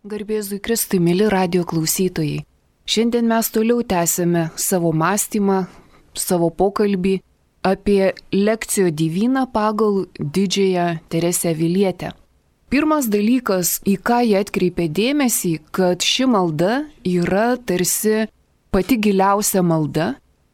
Garbėzui Kristui, mili radio klausytojai. Šiandien mes toliau tęsime savo mąstymą, savo pokalbį apie lekcijo diviną pagal didžiąją Teresę Avilietę. Pirmas dalykas, į ką jie atkreipė dėmesį, kad ši malda yra tarsi pati giliausia malda,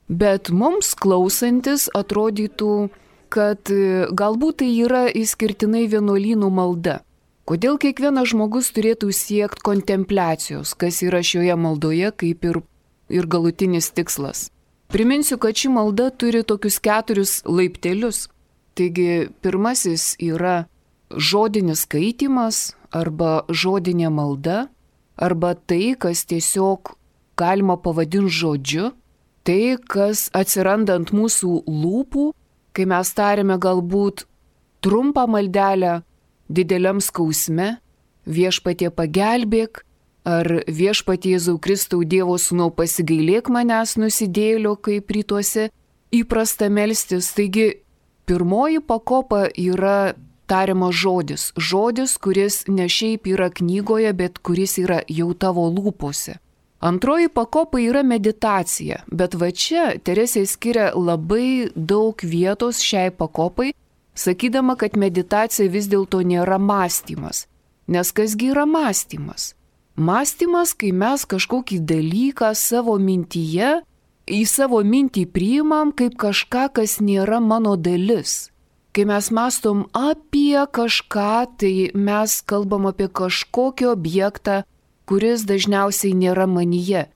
bet mums klausantis atrodytų, kad galbūt tai yra išskirtinai vienuolynų malda. Kodėl kiekvienas žmogus turėtų siekti kontempliacijos, kas yra šioje maldoje kaip ir galutinis tikslas? Priminsiu, kad ši malda turi tokius 4 laiptelius. Taigi pirmasis yra žodinis skaitymas arba žodinė malda, arba tai, kas tiesiog galima pavadinti žodžiu, tai, kas atsiranda ant mūsų lūpų, kai mes tariame galbūt trumpą maldelę, dideliam skausme, viešpatie pagelbėk, ar viešpatie Jėzau Kristau Dievo Sūnau pasigailėk manęs nusidėjėlio, kaip rytuose įprasta melstis. Taigi, pirmoji pakopa yra tariamas žodis. Žodis, kuris ne šiaip yra knygoje, bet kuris yra jau tavo lūpose. Antroji pakopa yra meditacija, bet va čia Teresė skiria labai daug vietos šiai pakopai, sakydama, kad meditacija vis dėlto nėra mąstymas. Nes kasgi yra mąstymas? Mąstymas, kai mes kažkokį dalyką savo mintyje, į savo mintį priimam kaip kažką, kas nėra mano dalis. Kai mes mąstom apie kažką, tai mes kalbam apie kažkokį objektą, kuris dažniausiai nėra manyje,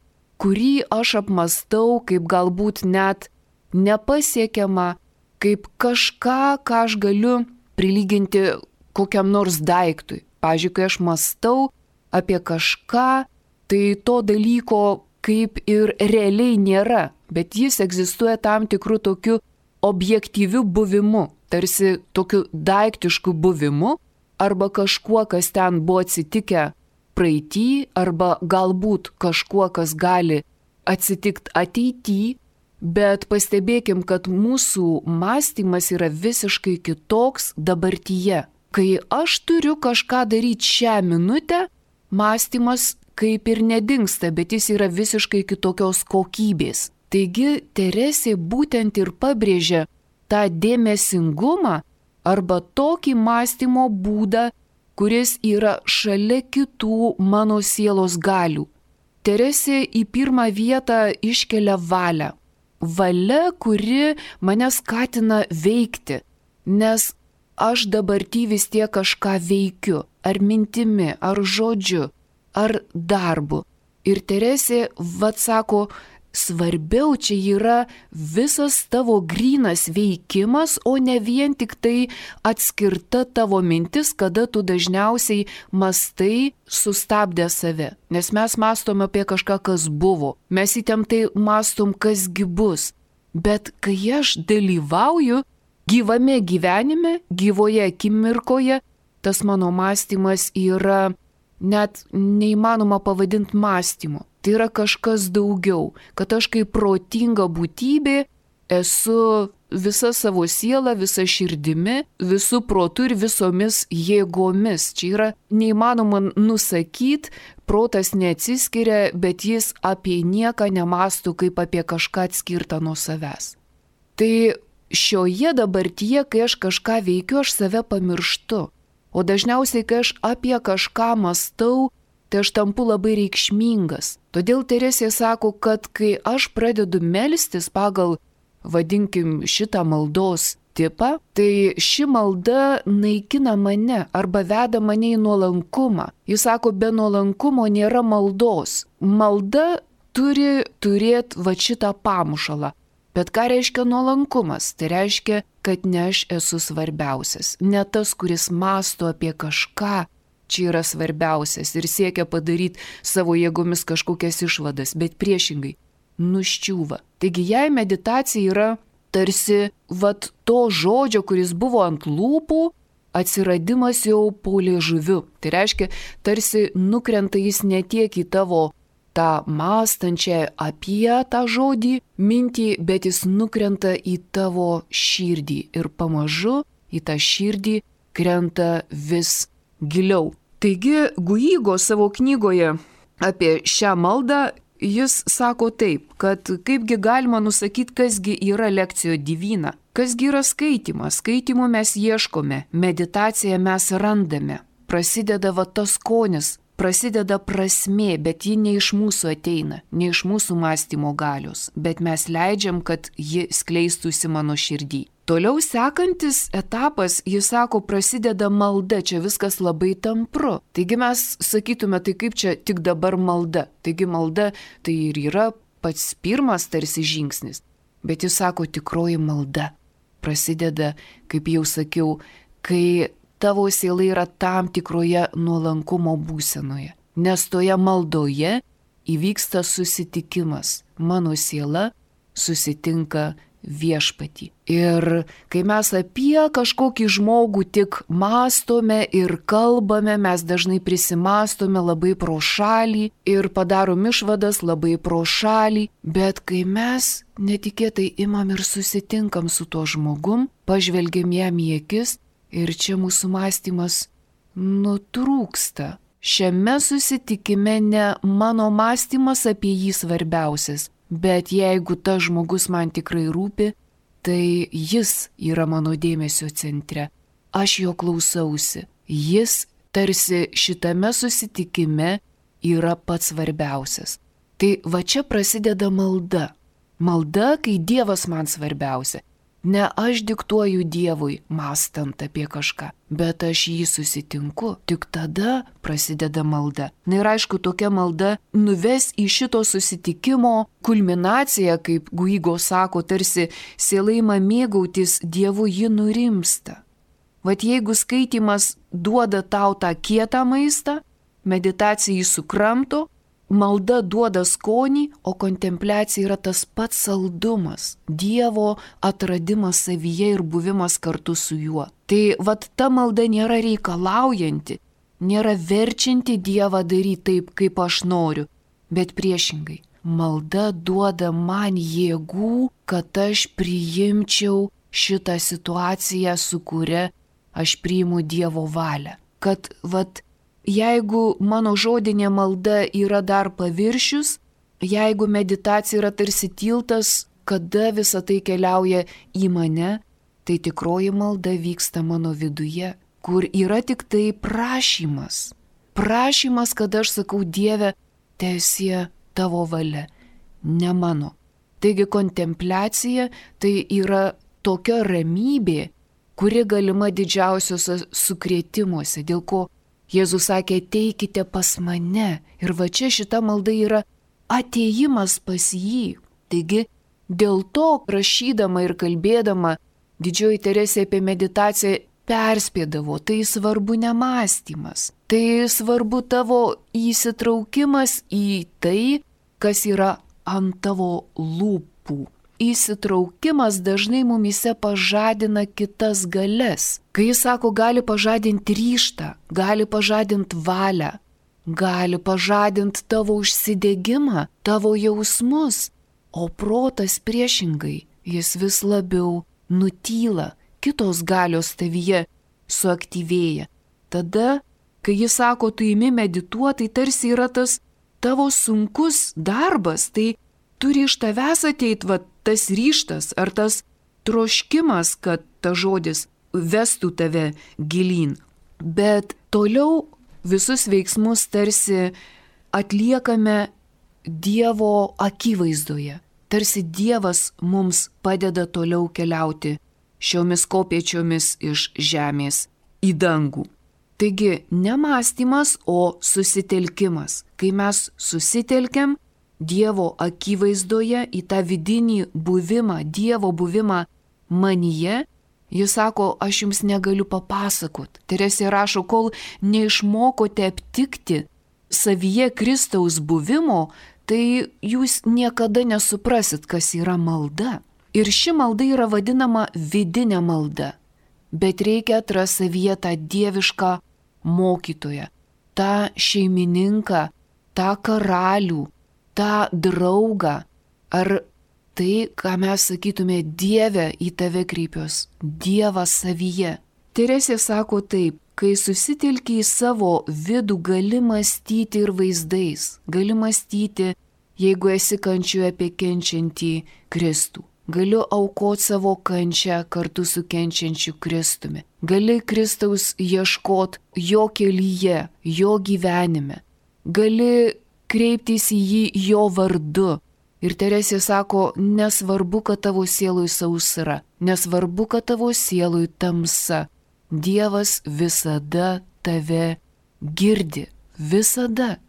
kurį aš apmastau kaip galbūt net nepasiekiamą, kaip kažką, ką aš galiu prilyginti kokiam nors daiktui. Pavyzdžiui, kai aš mąstau apie kažką, tai to dalyko kaip ir realiai nėra, bet jis egzistuoja tam tikrų tokių objektyvių buvimu, tarsi tokiu daiktišku buvimu, arba kažkuo, kas ten buvo atsitikę praeitį, arba galbūt kažkuo, kas gali atsitikti ateityje. Bet pastebėkim, kad mūsų mąstymas yra visiškai kitoks dabartyje. Kai aš turiu kažką daryti šią minutę, mąstymas kaip ir nedingsta, bet jis yra visiškai kitokios kokybės. Taigi Teresė būtent ir pabrėžia tą dėmesingumą arba tokį mąstymo būdą, kuris yra šalia kitų mano sielos galių. Teresė į pirmą vietą iškelia valią. Valia, kuri mane skatina veikti, nes aš dabartį vis tiek kažką veikiu, ar mintimi, ar žodžiu, ar darbu. Ir Teresė sako, svarbiau čia yra visas tavo grynas veikimas, o ne vien tik tai atskirta tavo mintis, kada tu dažniausiai mastai sustabdę save. Nes mes mastom apie kažką, kas buvo. Mes įtemptai mastom, kasgi bus. Bet kai aš dalyvauju gyvame gyvenime, gyvoje akimirkoje, tas mano mąstymas yra net neįmanoma pavadinti mąstymu. Tai yra kažkas daugiau, kad aš kaip protinga būtybė esu visa savo siela, visa širdimi, visų protų ir visomis jėgomis. Čia yra neįmanoma nusakyti, protas neatsiskiria, bet jis apie nieką nemąsto kaip apie kažką atskirtą nuo savęs. Tai šioje dabartyje, kai aš kažką veikiu, aš save pamirštu. O dažniausiai, kai aš apie kažką mąstau, tai aš tampu labai reikšmingas. Todėl Teresė sako, kad kai aš pradedu melstis pagal, vadinkim, šitą maldos tipą, tai ši malda naikina mane arba veda mane į nuolankumą. Jis sako, be nuolankumo nėra maldos. Malda turi turėti va šitą pamušalą. Bet ką reiškia nuolankumas? Tai reiškia, kad ne aš esu svarbiausias, ne tas, kuris mąsto apie kažką, čia yra svarbiausias ir siekia padaryti savo jėgomis kažkokias išvadas, bet priešingai nuščiūva. Taigi jei meditacija yra tarsi to žodžio, kuris buvo ant lūpų, atsiradimas jau po liežuviu. Tai reiškia, tarsi nukrenta jis ne tiek į tavo tą mąstančią apie tą žodį mintį, bet jis nukrenta į tavo širdį ir pamažu į tą širdį krenta vis giliau. Taigi Guigo savo knygoje apie šią maldą jis sako taip, kad kaipgi galima nusakyti, kasgi yra lekcijo divina, kasgi yra skaitimas, skaitimo mes ieškome, meditaciją mes randame, prasideda va tas skonis, prasideda prasmė, bet ji ne iš mūsų ateina, ne iš mūsų mąstymo galios, bet mes leidžiam, kad ji skleistųsi mano širdį. Toliau sekantis etapas, jis sako, prasideda malda, čia viskas labai tampru. Taigi mes sakytume, tai kaip čia tik dabar malda. Taigi malda tai ir yra pats pirmas tarsi žingsnis. Bet jis sako, tikroji malda prasideda, kaip jau sakiau, kai tavo siela yra tam tikroje nuolankumo būsenoje. Nes toje maldoje įvyksta susitikimas. Mano siela susitinka viešpatį. Ir kai mes apie kažkokį žmogų tik mąstome ir kalbame, mes dažnai prisimastome labai pro šalį ir padarom išvadas labai pro šalį, bet kai mes netikėtai imam ir susitinkam su tuo žmogum, pažvelgiam jam į akis ir čia mūsų mąstymas nutrūksta. Šiame susitikime ne mano mąstymas apie jį svarbiausias, bet jeigu tas žmogus man tikrai rūpi, tai jis yra mano dėmesio centre. Aš jo klausausi. Jis tarsi šitame susitikime yra pats svarbiausias. Tai va čia prasideda malda. Malda, kai Dievas man svarbiausia. Ne aš diktuoju Dievui, mąstant apie kažką, bet aš jį susitinku. Tik tada prasideda malda. Na ir aišku, tokia malda nuves į šito susitikimo kulminaciją, kaip Guigo sako, tarsi siela ima mėgautis Dievu, ji nurimsta. Vat jeigu skaitimas duoda tau tą kietą maistą, meditacija jį sukramto, malda duoda skonį, o kontempliacija yra tas pats saldumas, Dievo atradimas savyje ir buvimas kartu su juo. Tai vat ta malda nėra reikalaujanti, nėra verčianti Dievą daryti taip, kaip aš noriu, bet priešingai. Malda duoda man jėgų, kad aš priimčiau šitą situaciją, su kuria aš priimu Dievo valią. Kad vat jeigu mano žodinė malda yra dar paviršius, jeigu meditacija yra tarsi tiltas, kada visa tai keliauja į mane, tai tikroji malda vyksta mano viduje, kur yra tik tai prašymas. Prašymas, kad aš sakau, Dieve, teesie tavo valia, ne mano. Taigi kontempliacija tai yra tokia ramybė, kuri galima didžiausiuose sukrėtimuose, dėl ko Jėzus sakė, ateikite pas mane. Ir va čia šita malda yra atėjimas pas jį. Taigi, dėl to rašydama ir kalbėdama, Didžioji Teresė apie meditaciją perspėdavo, tai svarbu ne mąstymas. Tai svarbu tavo įsitraukimas į tai, kas yra ant tavo lūpų. Įsitraukimas dažnai mumise pažadina kitas galias. Kai jis sako, gali pažadinti ryžtą, gali pažadinti valią, gali pažadinti tavo užsidegimą, tavo jausmus, o protas priešingai, jis vis labiau nutyla, kitos galios tavyje suaktyvėja. Tada, kai jis sako, tu imi medituoti, tai tarsi yra tas tavo sunkus darbas, tai turi iš tavęs ateit va tas ryžtas ar tas troškimas, kad ta žodis vestų tave gilyn. Bet toliau visus veiksmus tarsi atliekame Dievo akivaizdoje. Tarsi Dievas mums padeda toliau keliauti šiomis kopėčiomis iš žemės į dangų. Taigi ne mąstymas, o susitelkimas. Kai mes susitelkiam Dievo akivaizdoje į tą vidinį buvimą, Dievo buvimą manyje, jis sako, aš jums negaliu papasakot. Teresė rašo, kol neišmokote aptikti savyje Kristaus buvimo, tai jūs niekada nesuprasit, kas yra malda. Ir ši malda yra vadinama vidinė malda. Bet reikia atrasti savyje tą dievišką mokytoją, tą šeimininką, tą karalių, tą draugą, ar tai, ką mes sakytume, Dieve, į tave kreipiuos, Dievas savyje. Teresė sako taip, kai susitelki į savo vidų, gali mąstyti ir vaizdais, gali mąstyti, jeigu esi kančioje apie kenčiantį Kristų. Galiu aukoti savo kančią kartu su kenčiančiu Kristumi. Gali Kristaus ieškoti jo kelyje, jo gyvenime. Gali kreiptis į jį jo vardu. Ir Teresė sako, nesvarbu, kad tavo sielui sausra, nesvarbu, kad tavo sielui tamsa. Dievas visada tave girdi. Visada.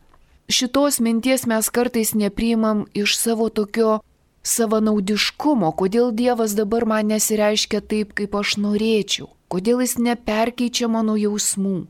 Šitos minties mes kartais nepriimam iš savo tokio savanaudiškumo, kodėl Dievas dabar man nesireiškia taip, kaip aš norėčiau, kodėl jis neperkeičia mano jausmų,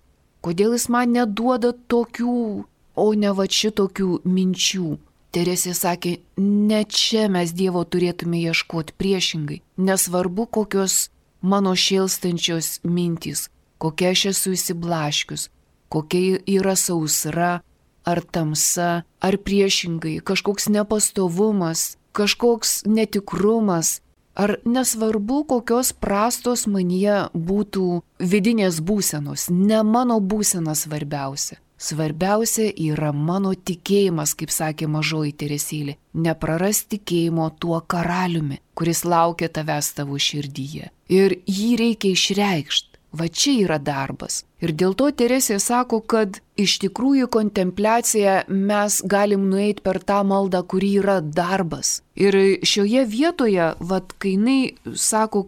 kodėl jis man neduoda tokių, o ne va šitokių minčių. Teresė sakė, ne čia mes Dievo turėtume ieškoti, priešingai, nesvarbu kokios mano šėlstančios mintys, kokia aš esu įsiblaškius, kokia yra sausra, ar tamsa, ar priešingai, kažkoks nepastovumas, kažkoks netikrumas, ar nesvarbu, kokios prastos manyje būtų vidinės būsenos, ne mano būsena svarbiausia. Svarbiausia yra mano tikėjimas, kaip sakė mažoji Teresėlė, neprarast tikėjimo tuo karaliumi, kuris laukia tavęs tavo širdyje. Ir jį reikia išreikšti. Va čia yra darbas. Ir dėl to Teresė sako, kad iš tikrųjų kontempliaciją mes galim nueiti per tą maldą, kuri yra darbas. Ir šioje vietoje, kai jinai sako,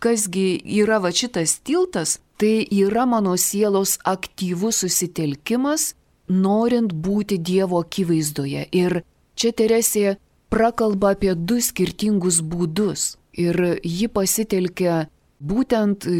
kasgi yra va šitas tiltas, tai yra mano sielos aktyvus susitelkimas, norint būti Dievo akivaizdoje. Ir čia Teresė prakalba apie du skirtingus būdus. Ir ji pasitelkia būtent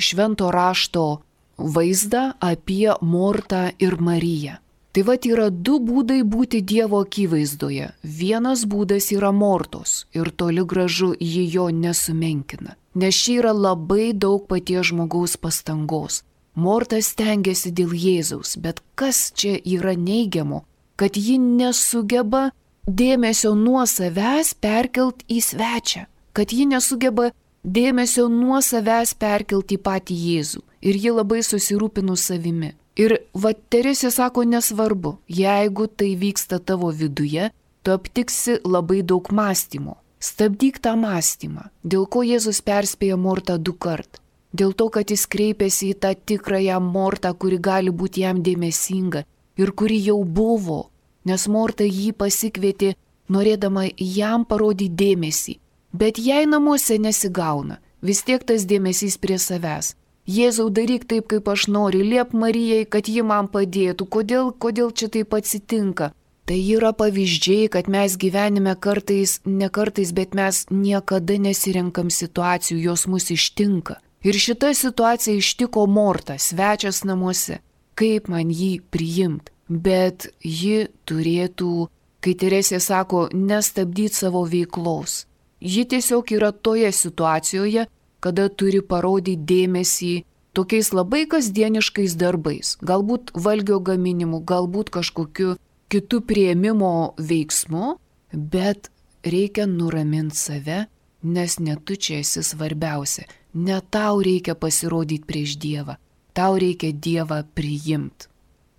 Švento rašto vaizdą apie Mortą ir Mariją. Tai vat yra du būdai būti Dievo akivaizdoje. Vienas būdas yra Mortos ir toli gražu ji jo nesumenkina. Nes čia yra labai daug paties žmogaus pastangos. Morta stengiasi dėl Jėzaus, bet kas čia yra neigiamo, kad ji nesugeba dėmesio nuo savęs perkelt į svečią, kad ji nesugeba dėmesio nuo savęs perkelti į patį Jėzų. Ir ji labai susirūpinus savimi. Ir va Teresė sako, nesvarbu, jeigu tai vyksta tavo viduje, tu aptiksi labai daug mąstymo. Stabdyk tą mąstymą. Dėl ko Jėzus perspėja Mortą 2 kart? Dėl to, kad jis kreipėsi į tą tikrąją Mortą, kuri gali būti jam dėmesinga ir kuri jau buvo. Nes Morta jį pasikvietė, norėdama jam parodyti dėmesį. Bet jei namuose nesigauna, vis tiek tas dėmesys prie savęs. Jėzau, daryk taip, kaip aš noriu, liep Marijai, kad ji man padėtų. Kodėl čia taip atsitinka? Tai yra pavyzdžiai, kad mes gyvenime ne kartais, bet mes niekada nesirenkam situacijų, jos mus ištinka. Ir šita situacija ištiko Mortą, svečias namuose. Kaip man jį priimti? Bet ji turėtų, kai Teresė sako, nestabdyti savo veiklos. Ji tiesiog yra toje situacijoje, kada turi parodyti dėmesį tokiais labai kasdieniškais darbais, galbūt valgio gaminimu, galbūt kažkokiu kitų priėmimo veiksmu, bet reikia nuraminti save, nes ne tu čia esi svarbiausia, ne tau reikia pasirodyti prieš Dievą, tau reikia Dievą priimti.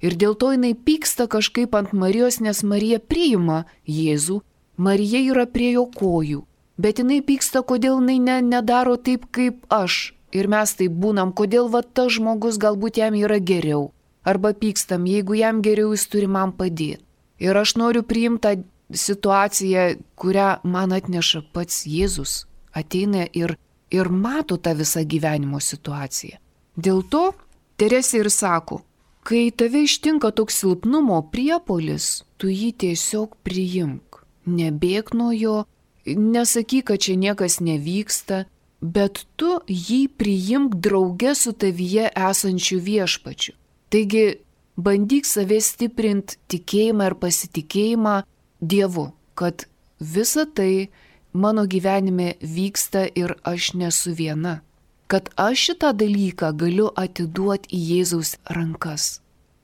Ir dėl to jinai pyksta kažkaip ant Marijos, nes Marija priima Jėzų, Marija yra prie jo kojų. Bet jinai pyksta, kodėl jinai nedaro taip, kaip aš. Ir mes taip būnam, kodėl va tas žmogus galbūt jam yra geriau. Arba pykstam, jeigu jam geriau, jis turi man padėti. Ir aš noriu priimti tą situaciją, kurią man atneša pats Jėzus. Ateina ir mato tą visą gyvenimo situaciją. Dėl to Teresė ir sako, kai tave ištinka toks silpnumo priepuolis, tu jį tiesiog priimk. Nebėk nuo jo. Nesakyk, kad čia niekas nevyksta, bet tu jį priimk drauge su tavyje esančiu Viešpačiu. Taigi, bandyk save stiprinti tikėjimą ir pasitikėjimą Dievu, kad visa tai mano gyvenime vyksta ir aš nesu viena. Kad aš šitą dalyką galiu atiduoti į Jėzaus rankas.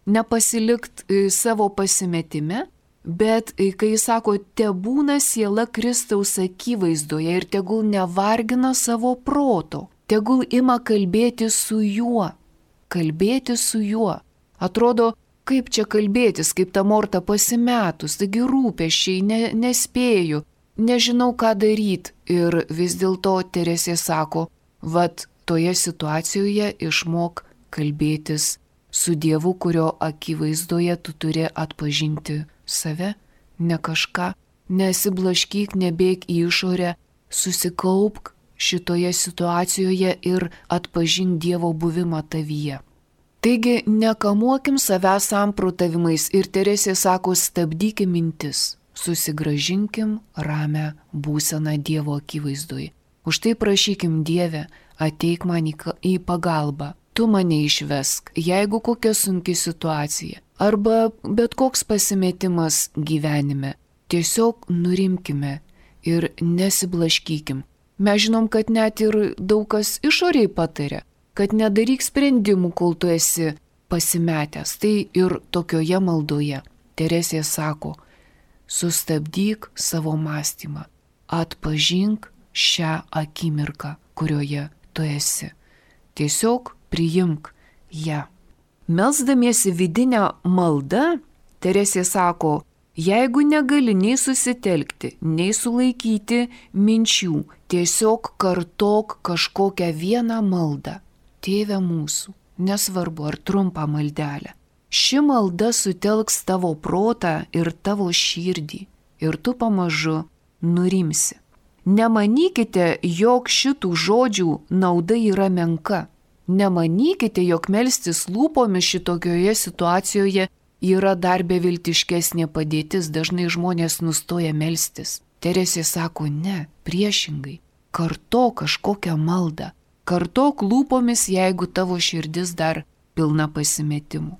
Nepasilikt savo pasimetime, bet kai jis sako, tebūna siela Kristaus akivaizdoje ir tegul nevargina savo proto, tegul ima kalbėti su juo. kalbėti su juo. Atrodo, kaip čia kalbėtis, kaip ta Morta pasimetus, taigi rūpesčiai, nespėju, nežinau ką daryti. Ir vis dėlto Teresė sako, vat toje situacijoje išmok kalbėtis su Dievu, kurio akivaizdoje tu turi atpažinti save, ne kažką, nesiblaškyk, nebėk į išorę, susikaupk šitoje situacijoje ir atpažink Dievo buvimą tavyje. Taigi nekamuokim savęs samprotavimais ir Teresė sako, stabdykim mintis, susigrąžinkim ramę būseną Dievo akivaizdoje. Už tai prašykim, Dieve, ateik man į pagalbą, tu mane išvesk, jeigu kokia sunki situacija arba bet koks pasimetimas gyvenime. Tiesiog nurimkime ir nesiblaškykim. Mes žinom, kad net ir daug kas išoriai pataria, kad nedaryk sprendimų, kol tu esi pasimetęs. Tai ir tokioje maldoje Teresė sako, sustabdyk savo mąstymą, atpažink šią akimirką, kurioje tu esi. Tiesiog priimk ją. Melsdamiesi vidinę maldą, Teresė sako, jeigu negali nei susitelkti, nei sulaikyti minčių, tiesiog kartok kažkokią vieną maldą. Tėve mūsų, nesvarbu ar trumpą maldelę. Ši malda sutelks tavo protą ir tavo širdį ir tu pamažu nurimsi. Nemanykite, jog šitų žodžių nauda yra menka. Nemanykite, jog melstis lūpomis šitokioje situacijoje yra dar beviltiškesnė padėtis, dažnai žmonės nustoja melstis. Teresė sako, ne, priešingai, kartok kažkokią maldą, kartok lūpomis, jeigu tavo širdis dar pilna pasimetimų.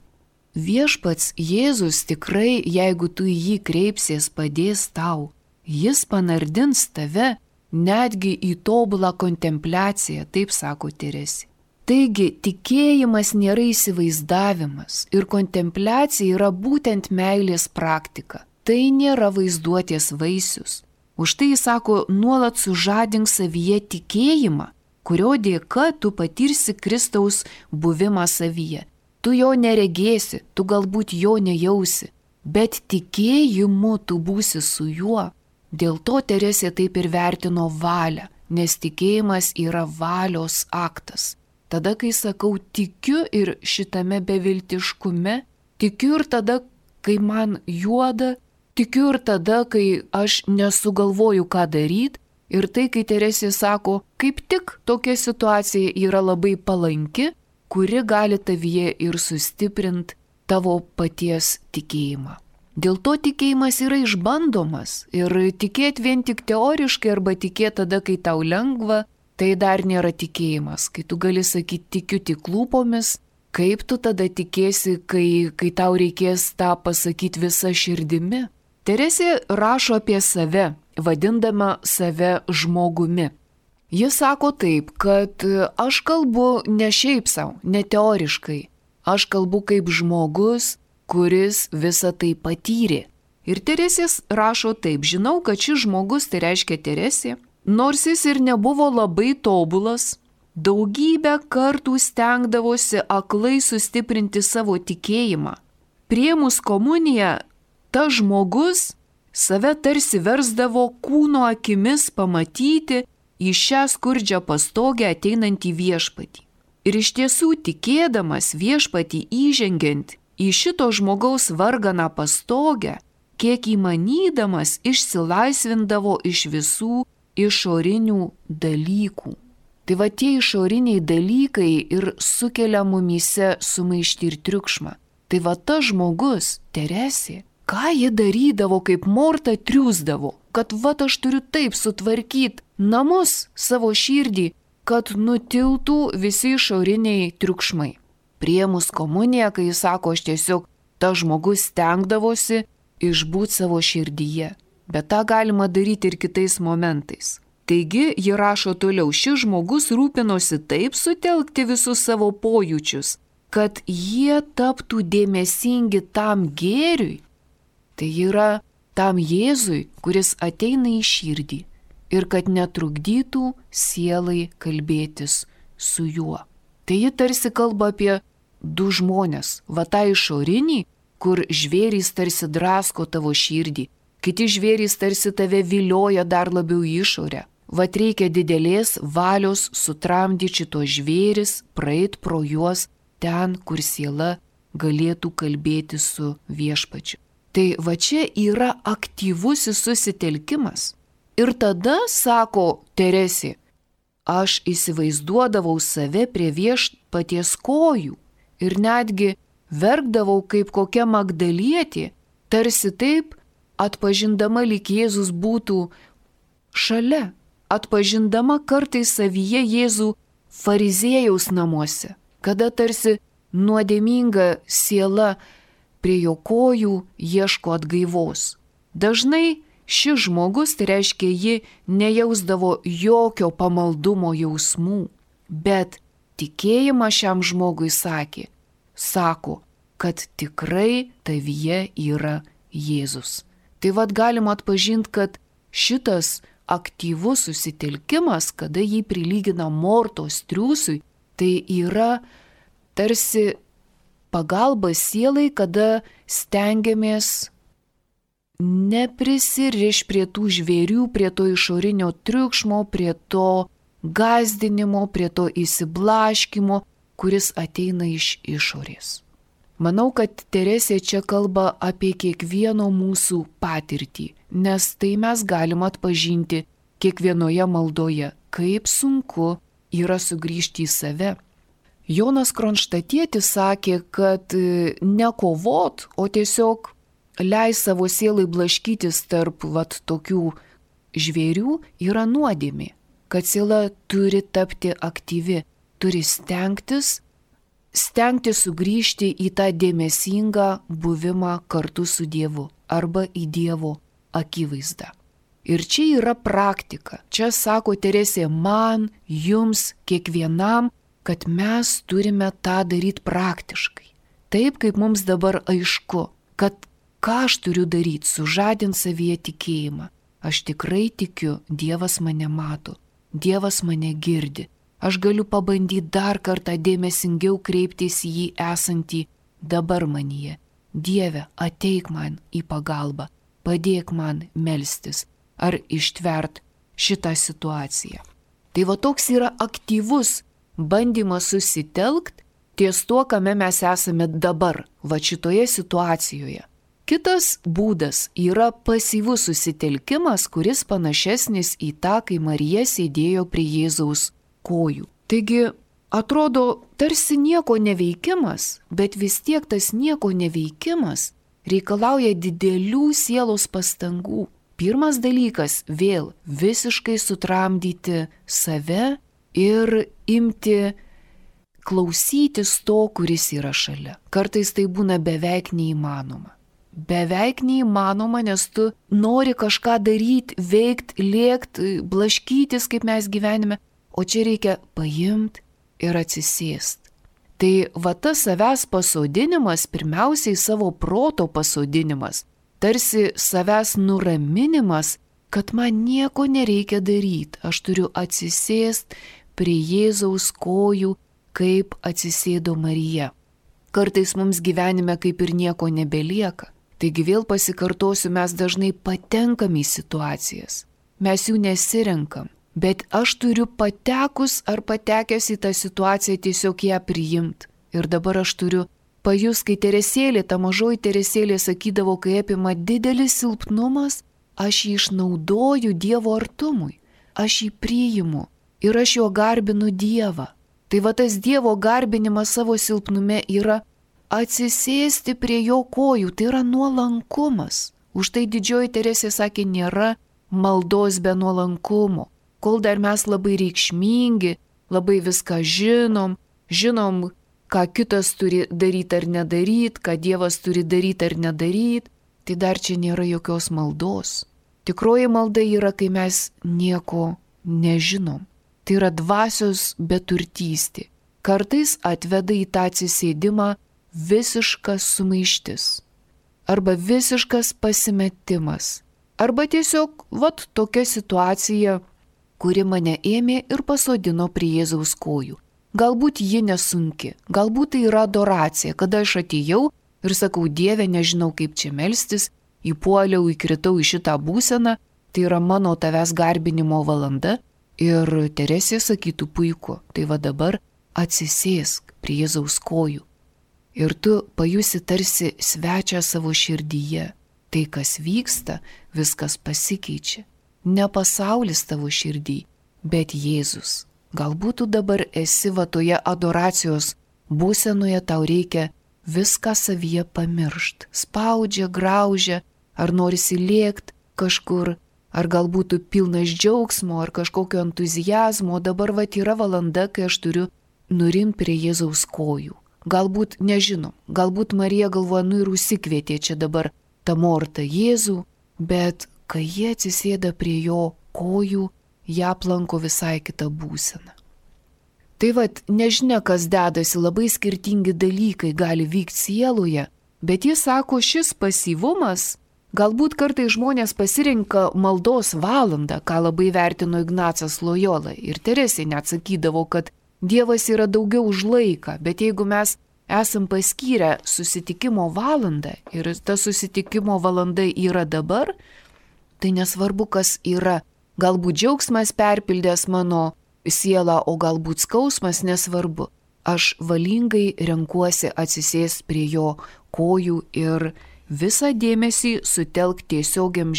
Viešpats Jėzus tikrai, jeigu tu į jį kreipsies, padės tau. Jis panardins tave netgi į tobulą kontempliaciją, taip sako Teresė. Taigi, tikėjimas nėra įsivaizdavimas ir kontempliacija yra būtent meilės praktika. Tai nėra vaizduotės vaisius. Už tai jis sako, nuolat sužadink savyje tikėjimą, kurio dėka tu patirsi Kristaus buvimą savyje. Tu jo neregėsi, tu galbūt jo nejausi, bet tikėjimu tu būsi su juo. Dėl to Teresė taip ir vertino valią, nes tikėjimas yra valios aktas. Tada, kai sakau tikiu ir šitame beviltiškume, tikiu ir tada, kai man juoda, tikiu ir tada, kai aš nesugalvoju, ką daryti. Ir tai, kai Teresė sako, kaip tik tokia situacija yra labai palanki, kuri gali tavyje ir sustiprinti tavo paties tikėjimą. Dėl to tikėjimas yra išbandomas ir tikėti vien tik teoriškai arba tikėti tada, kai tau lengva, tai dar nėra tikėjimas. Kai tu gali sakyti tikiu tik lūpomis, kaip tu tada tikėsi, kai tau reikės tą pasakyti visą širdimi. Teresė rašo apie save, vadindama save žmogumi. Jis sako taip, kad aš kalbu ne šiaip savo, ne teoriškai. Aš kalbu kaip žmogus, kuris visą tai patyrė. Ir Teresės rašo taip, žinau, kad šis žmogus, tai reiškia Teresė, nors jis ir nebuvo labai tobulas, daugybę kartų stengdavosi aklai sustiprinti savo tikėjimą. Priėmus komuniją, tas žmogus save tarsi versdavo kūno akimis pamatyti į šią skurdžią pastogę ateinantį viešpatį. Ir iš tiesų tikėdamas viešpatį įžengiant į šito žmogaus varganą pastogę, kiek įmanydamas išsilaisvindavo iš visų išorinių dalykų. Tai va tie išoriniai dalykai ir sukelia mumyse sumaištį ir triukšmą. Tai va tas žmogus, Teresė, ką ji darydavo, kaip Morta triūsdavo, kad va aš turiu taip sutvarkyti namus, savo širdį, kad nutiltų visi išoriniai triukšmai. Priėmus komuniją, kai jis sako, aš tiesiog tas žmogus stengdavosi išbūti savo širdyje. Bet tą galima daryti ir kitais momentais. Taigi, ji rašo toliau, šis žmogus rūpinosi taip sutelkti visus savo pojūčius, kad jie taptų dėmesingi tam gėriui. Tai yra tam Jėzui, kuris ateina į širdį ir kad netrukdytų sielai kalbėtis su juo. Tai ji tarsi kalba apie du žmonės. Va tą išorinį, kur žvėrys tarsi drasko tavo širdį, kiti žvėrys tarsi tave vilioja dar labiau į išorę. Vat reikia didelės valios sutramdyti šito žvėris, praeit pro juos ten, kur siela galėtų kalbėti su viešpačiu. Tai va čia yra aktyvusis susitelkimas. Ir tada, sako Teresė, aš įsivaizduodavau save prie viešpaties kojų ir netgi verkdavau kaip kokia Magdalietė, tarsi taip atpažindama, lyg Jėzus būtų šalia, atpažindama kartais savyje Jėzų fariziejaus namuose, kada tarsi nuodėminga siela prie jo kojų ieško atgaivos. Dažnai šis žmogus, tai reiškia, ji nejausdavo jokio pamaldumo jausmų, bet tikėjimą šiam žmogui sako, kad tikrai tavyje yra Jėzus. Tai vad galima atpažinti, kad šitas aktyvus susitelkimas, kada jį prilygina Mortos triūsui, tai yra tarsi pagalba sielai, kada stengiamės neprisiriš prie tų žvėrių, prie to išorinio triukšmo, prie to gąsdinimo, prie to įsiblaškimo, kuris ateina iš išorės. Manau, kad Teresė čia kalba apie kiekvieno mūsų patirtį, nes tai mes galim atpažinti kiekvienoje maldoje, kaip sunku yra sugrįžti į save. Jonas Kronštatietis sakė, kad ne kovot, o tiesiog leis savo sielai blaškytis tarp tokių žvėrių yra nuodėmė, kad siela turi tapti aktyvi, turi stengtis sugrįžti į tą dėmesingą buvimą kartu su Dievu arba į Dievo akivaizdą. Ir čia yra praktika. Čia sako Teresė man, jums, kiekvienam, kad mes turime tą daryti praktiškai. Taip, kaip mums dabar aišku, kad ką aš turiu daryti, sužadinti savyje tikėjimą. Aš tikrai tikiu, Dievas mane mato, Dievas mane girdi. Aš galiu pabandyti dar kartą dėmesingiau kreiptis į jį esantį dabar manyje. Dieve, ateik man į pagalbą, padėk man melstis ar ištvert šitą situaciją. Tai va toks yra aktyvus bandymas susitelkt ties tuo, kame mes esame dabar, va šitoje situacijoje. Kitas būdas yra pasyvus susitelkimas, kuris panašesnis į tą, kai Marija sėdėjo prie Jėzaus kojų. Taigi, atrodo, tarsi nieko neveikimas, bet vis tiek tas nieko neveikimas reikalauja didelių sielos pastangų. Pirmas dalykas - vėl visiškai sutramdyti save ir imti klausytis to, kuris yra šalia. Kartais tai būna beveik neįmanoma. Beveik neįmanoma, nes tu nori kažką daryti, veikti, lėkti, blaškytis, kaip mes gyvenime, o čia reikia paimti ir atsisėsti. Tai va tas savęs pasodinimas, pirmiausiai savo proto pasodinimas, tarsi savęs nuraminimas, kad man nieko nereikia daryti, aš turiu atsisėsti prie Jėzaus kojų, kaip atsisėdo Marija. Kartais mums gyvenime kaip ir nieko nebelieka. Taigi vėl pasikartosiu, mes dažnai patenkam į situacijas. Mes jų nesirenkam, bet aš turiu patekus ar patekęs į tą situaciją tiesiog ją priimti. Ir dabar aš turiu pajus, kai Teresėlė, ta mažoji Teresėlė sakydavo, kai apima didelis silpnumas, aš jį išnaudoju Dievo artumui, aš jį priimu ir aš jo garbinu Dievą. Tai va tas Dievo garbinimas savo silpnume yra atsisėsti prie jo kojų, tai yra nuolankumas. Už tai didžioji Teresė sakė, nėra maldos be nuolankumo. Kol dar mes labai reikšmingi, labai viską žinom, ką kitas turi daryti ar nedaryti, ką Dievas turi daryti ar nedaryti, tai dar čia nėra jokios maldos. Tikroji malda yra, kai mes nieko nežinom. Tai yra dvasios beturtystė. Kartais atveda į tą atsisėdimą visiškas sumaištis. Arba visiškas pasimetimas. Arba tiesiog, tokia situacija, kuri mane ėmė ir pasodino prie Jėzaus kojų. galbūt ji nesunki, galbūt tai yra adoracija, kada aš atėjau ir sakau, Dieve, nežinau kaip čia melstis, įpuoliau, įkritau į šitą būseną, tai yra mano tavęs garbinimo valanda ir Teresė sakytų puiku, tai va dabar atsisėsk prie Jėzaus kojų ir tu pajusi tarsi svečią savo širdyje. Tai, kas vyksta, viskas pasikeičia. Ne pasaulis tavo širdį, bet Jėzus. Galbūt tu dabar esi va toje adoracijos būsenoje, tau reikia viską savyje pamiršt. Spaudžia, graužia, ar norisi lėkt kažkur, ar galbūt tu pilnas džiaugsmo, ar kažkokio entuzijazmo. Dabar va yra valanda, kai aš turiu nurimti prie Jėzaus kojų. Galbūt nežinom, galbūt Marija galvoja, ir užsikvietė čia dabar tą mortą Jėzų, bet kai jie atsisėda prie jo kojų, ją aplanko visai kitą būseną. Tai vat, nežinia, kas dedasi, labai skirtingi dalykai gali vykti sieloje, bet jis sako, šis pasyvumas, galbūt kartais žmonės pasirenka maldos valandą, ką labai vertino Ignacas Lojola, ir Teresė net sakydavo, kad Dievas yra daugiau už laiką, bet jeigu mes esam paskyrę susitikimo valandą ir ta susitikimo valanda yra dabar, tai nesvarbu, kas yra. Galbūt džiaugsmas perpildęs mano sielą, o galbūt skausmas, nesvarbu. Aš valingai renkuosi atsisėsti prie jo kojų ir visą dėmesį sutelk tiesioginiam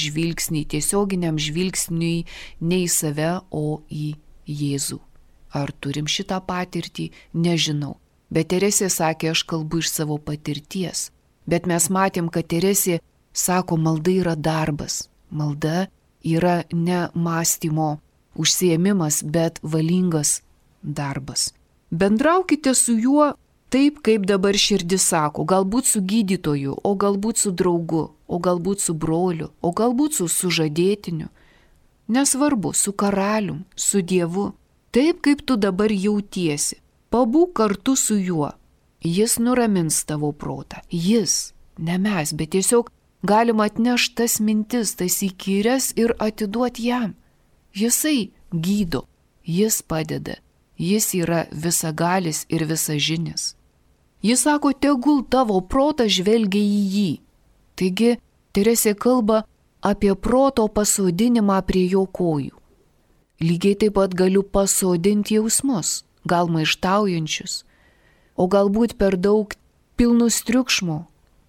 žvilgsniui ne į save, o į Jėzų. Ar turim šitą patirtį? Nežinau. Bet Teresė sakė, aš kalbu iš savo patirties. Bet mes matėm, kad Teresė sako, malda yra darbas. Malda yra ne mąstymo užsiėmimas, bet valingas darbas. Bendraukite su juo taip, kaip dabar širdis sako. Galbūt su gydytoju, o galbūt su draugu, o galbūt su broliu, o galbūt su sužadėtiniu. Nesvarbu, su karalium, su Dievu. Taip, kaip tu dabar jautiesi. Pabūk kartu su juo. Jis nuramins tavo protą. Jis, ne mes, bet tiesiog galima atnešti tas mintis, tas įkyres ir atiduoti jam. Jisai gydo, jis padeda, jis yra visagalis ir visažinis. Jis sako, tegul tavo protas žvelgia į jį. Taigi, Teresė kalba apie proto pasodinimą prie jo kojų. Lygiai taip pat galiu pasodinti jausmus, gal maištaujančius, o galbūt per daug pilnus triukšmo,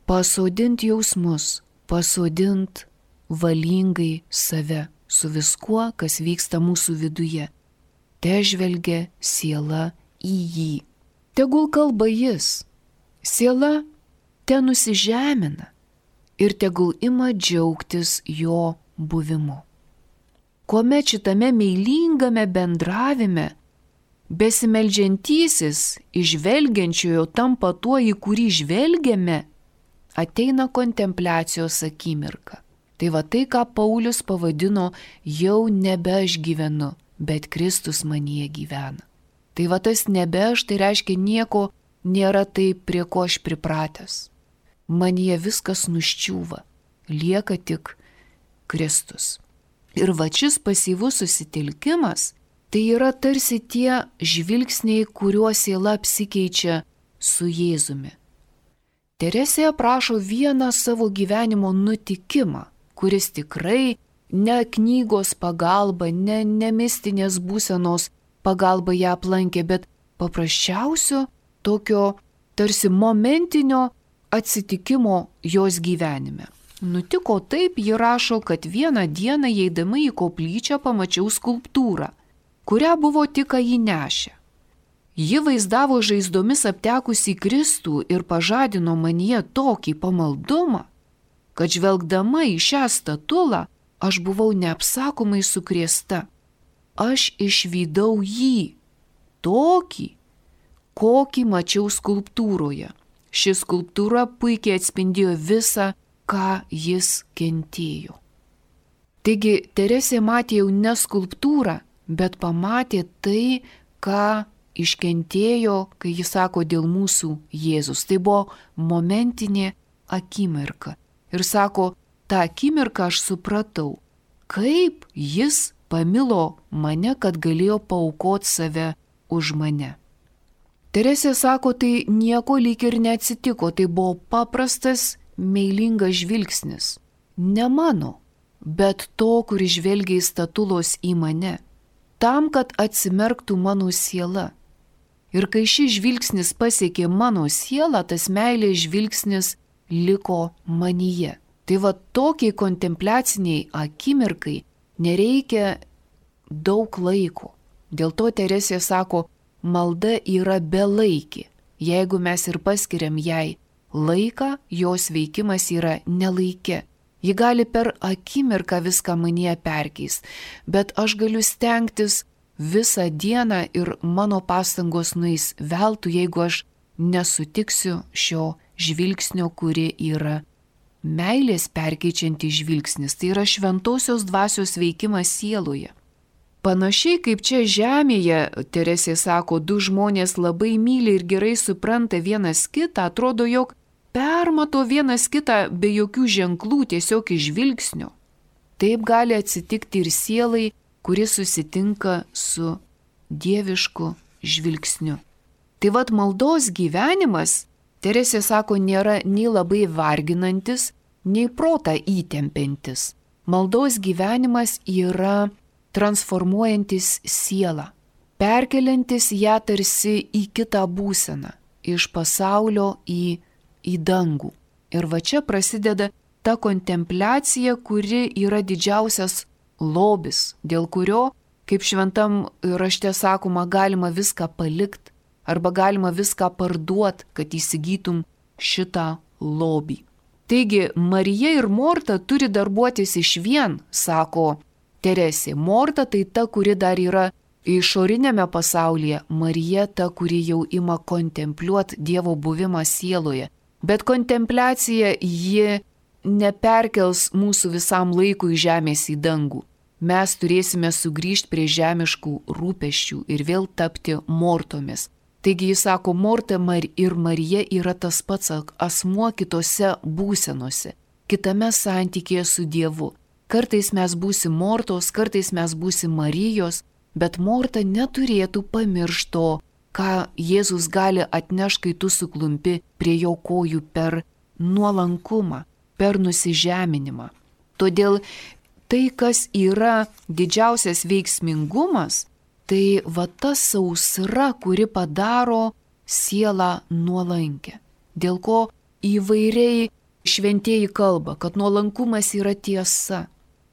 pasodinti jausmus, pasodinti valingai save su viskuo, kas vyksta mūsų viduje. Te žvelgia siela į jį. Tegul kalba jis. Siela te nusižemina ir tegul ima džiaugtis jo buvimu. Kuomet šitame meilingame bendravime besimeldžiantysis įžvelgiančiojo tampa tuo, į kurį žvelgiame, ateina kontempliacijos akimirka. Tai va tai, ką Paulius pavadino, jau nebe aš gyvenu, bet Kristus manyje gyvena. Tai va tas nebe aš, tai reiškia nieko nėra taip, prie ko aš pripratęs. Manyje viskas nuščiūva, lieka tik Kristus. Ir va šis pasyvus susitelkimas, tai yra tarsi tie žvilgsniai, kuriuo siela apsikeičia su Jėzumi. Teresė aprašo vieną savo gyvenimo nutikimą, kuris tikrai ne knygos pagalba, ne mistinės būsenos pagalba ją aplankė, bet paprasčiausio tokio tarsi momentinio atsitikimo jos gyvenime. Nutiko taip, ji rašo, kad vieną dieną eidama į koplyčią pamačiau skulptūrą, kurią buvo tik jį nešę. Ji vaizdavo žaizdomis aptekusį Kristų ir pažadino manyje tokį pamaldumą, kad žvelgdama į šią statulą aš buvau neapsakomai sukrėsta. Aš išvydau jį, tokį, kokį mačiau skulptūroje. Ši skulptūra puikiai atspindėjo visą, ką jis kentėjo. Taigi Teresė matė jau ne skulptūrą, bet pamatė tai, ką iškentėjo, kai jis sako dėl mūsų Jėzus. Tai buvo momentinė akimirka. Ir sako, tą akimirką aš supratau, kaip jis pamilo mane, kad galėjo paaukoti save už mane. Teresė sako, tai nieko lyg ir neatsitiko, tai buvo paprastas, meilingas žvilgsnis. Ne mano, bet to, kuris žvelgia į statulos į mane, tam, kad atsimerktų mano siela. Ir kai šis žvilgsnis pasiekė mano sielą, tas meilės žvilgsnis liko manyje. Tai va tokiai kontempliaciniai akimirkai nereikia daug laiko. Dėl to Teresė sako, malda yra belaikė. Jeigu mes ir paskiriam jai laiką, jos veikimas yra nelaike. Ji gali per akimirką viską manyje perkeis, bet aš galiu stengtis visą dieną ir mano pastangos nueis veltui, jeigu aš nesutiksiu šio žvilgsnio, kuri yra meilės perkeičianti žvilgsnis. Tai yra šventosios dvasios veikimas sieloje. Panašiai kaip čia žemėje, Teresė sako, du žmonės labai myli ir gerai supranta vienas kitą, atrodo, jog permato vienas kitą be jokių ženklų, tiesiog iš žvilgsnio. Taip gali atsitikti ir sielai, kuri susitinka su dievišku žvilgsniu. Tai vad maldos gyvenimas, Teresė sako, nėra nei labai varginantis, nei protą įtempiantis. Maldos gyvenimas yra transformuojantis sielą, perkeliantis ją tarsi į kitą būseną, iš pasaulio į dangų. Ir va čia prasideda ta kontempliacija, kuri yra didžiausias lobis, dėl kurio, kaip šventam rašte sakoma, galima viską palikti arba galima viską parduoti, kad įsigytum šitą lobį. Taigi, Marija ir Morta turi darbuotis išvien, sako Teresė. Morta tai ta, kuri dar yra išorinėme pasaulyje, Marija ta, kuri jau ima kontempliuoti Dievo buvimą sieloje. Bet kontempliacija ji neperkels mūsų visam laikui žemės į dangų. Mes turėsime sugrįžti prie žemiškų rūpesčių ir vėl tapti mortomis. Taigi jis sako, Morta ir Marija yra tas pats asmuo kitose būsenose, kitame santykėje su Dievu. Kartais mes būsim Mortos, kartais mes būsim Marijos, bet Morta neturėtų pamiršti to, ką Jėzus gali atnešti, kai tu suklumpi prie jo kojų per nuolankumą, per nusižeminimą. Todėl tai, kas yra didžiausias veiksmingumas, tai va ta sausra, kuri padaro sielą nuolankę. Dėl ko įvairiai šventieji kalba, kad nuolankumas yra tiesa,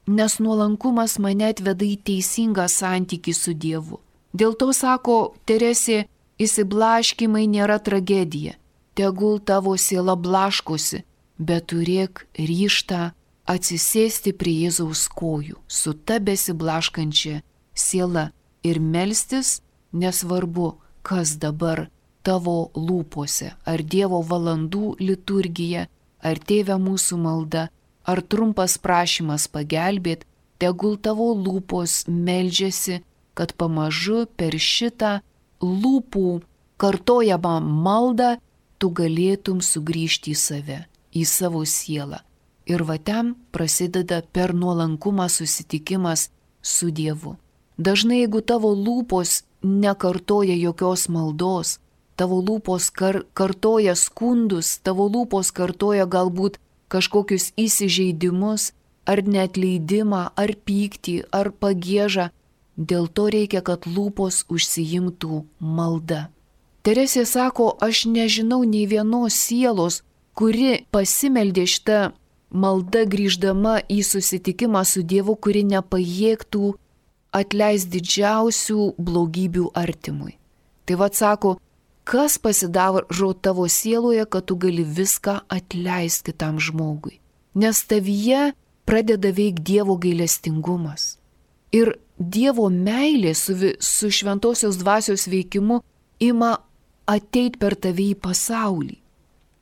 nes nuolankumas mane atveda į teisingą santykį su Dievu. Dėl to, sako Teresė, įsiblaškimai nėra tragedija. Tegul tavo siela blaškosi, bet turėk ryžtą atsisėsti prie Jėzaus kojų su ta besiblaškančia siela ir melstis, nesvarbu, kas dabar tavo lūpose, ar Dievo valandų liturgija, ar Tėve mūsų malda, ar trumpas prašymas pagelbėt, tegul tavo lūpos meldžiasi, kad pamažu per šitą lūpų kartojamą maldą tu galėtum sugrįžti į save, į savo sielą. Ir va ten prasideda per nuolankumą susitikimas su Dievu. Dažnai, jeigu tavo lūpos nekartoja jokios maldos, tavo lūpos kartoja skundus, tavo lūpos kartoja galbūt kažkokius įsižeidimus, ar neatleidimą, ar pyktį, ar pagiežą, dėl to reikia, kad lūpos užsiimtų malda. Teresė sako, aš nežinau nei vienos sielos, kuri pasimeldė šitą maldą grįždama į susitikimą su Dievu, kuri nepajėgtų atleisti didžiausių blogybių artimui. Tai vad sako, kas pasidaro tavo sieloje, kad tu gali viską atleisti kitam žmogui. Nes tavyje pradeda veikti Dievo gailestingumas. Ir Dievo meilė su šventosios dvasios veikimu ima ateit per tave į pasaulį.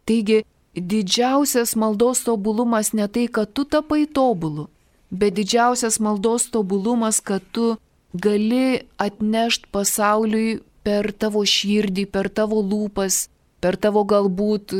Taigi, didžiausias maldos tobulumas ne tai, kad tu tapai tobulu, bet didžiausias maldos tobulumas, kad tu gali atnešti pasauliui per tavo širdį, per tavo lūpas, per tavo galbūt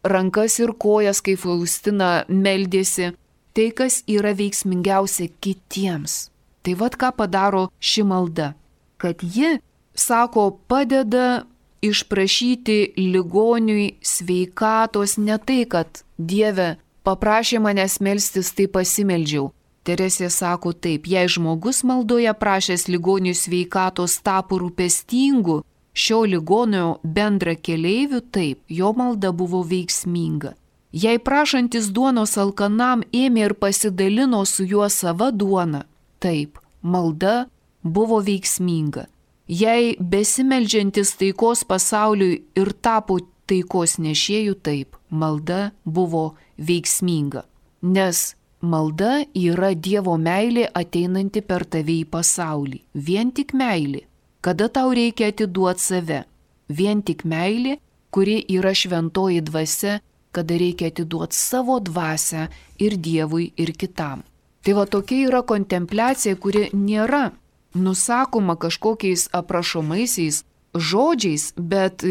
rankas ir kojas, kaip Faustina meldėsi, tai, kas yra veiksmingiausia kitiems. Tai vad ką padaro ši malda, kad ji, sako, padeda išprašyti ligoniui sveikatos ne tai, kad Dieve paprašė manęs melstis, tai pasimeldžiau. Teresė sako taip, jei žmogus maldoje prašęs ligoniui sveikatos tapo rūpestingu šio ligonio bendra keleiviu, taip, jo malda buvo veiksminga. Jei prašantis duonos alkanam ėmė ir pasidalino su juo sava duona, taip, malda buvo veiksminga. Jei besimeldžiantis taikos pasauliui ir tapo taikos nešėjų, taip, malda buvo veiksminga. Nes malda yra Dievo meilė ateinanti per tave į pasaulį. Vien tik meilė. Kada tau reikia atiduoti save? Vien tik meilė, kuri yra šventoji dvasia, kada reikia atiduoti savo dvasią ir Dievui, ir kitam. Tai va tokia yra kontempliacija, kuri nėra nusakoma kažkokiais aprašomaisiais žodžiais, bet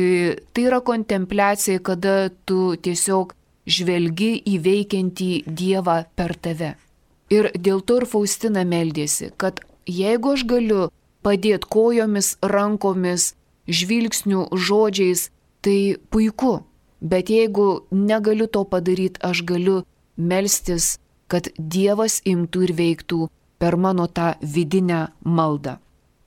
tai yra kontempliacija, kada tu tiesiog žvelgi į veikiantį Dievą per tave. Ir dėl to ir Faustina meldėsi, kad jeigu aš galiu padėti kojomis, rankomis, žvilgsnių, žodžiais, tai puiku. Bet jeigu negaliu to padaryti, aš galiu melstis, kad Dievas imtų ir veiktų per mano tą vidinę maldą.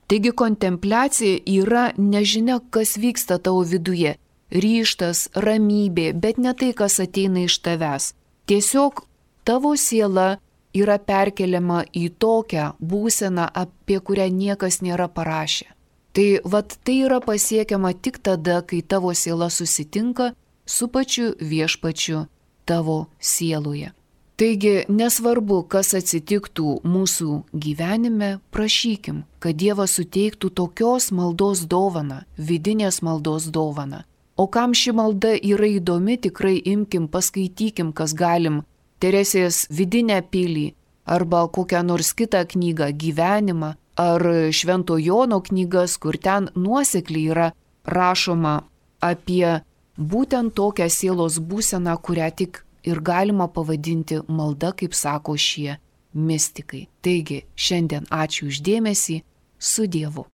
Taigi kontempliacija yra nežinia, kas vyksta tavo viduje. Ryžtas, ramybė, bet ne tai, kas ateina iš tavęs. Tiesiog tavo siela yra perkeliama į tokią būseną, apie kurią niekas nėra parašę. Tai tai yra pasiekiama tik tada, kai tavo siela susitinka su pačiu viešpačiu tavo sieloje. Taigi nesvarbu, kas atsitiktų mūsų gyvenime, prašykim, kad Dievas suteiktų tokios maldos dovaną, vidinės maldos dovaną. O kam ši malda yra įdomi, tikrai imkim, paskaitykim, kas galim, Teresės vidinę pilį, arba kokią nors kitą knygą, gyvenimą, ar Švento Jono knygas, kur ten nuosekliai yra rašoma apie būtent tokią sielos būseną, kurią tik ir galima pavadinti malda, kaip sako šie mistikai. Taigi, šiandien ačiū už dėmesį, su Dievu.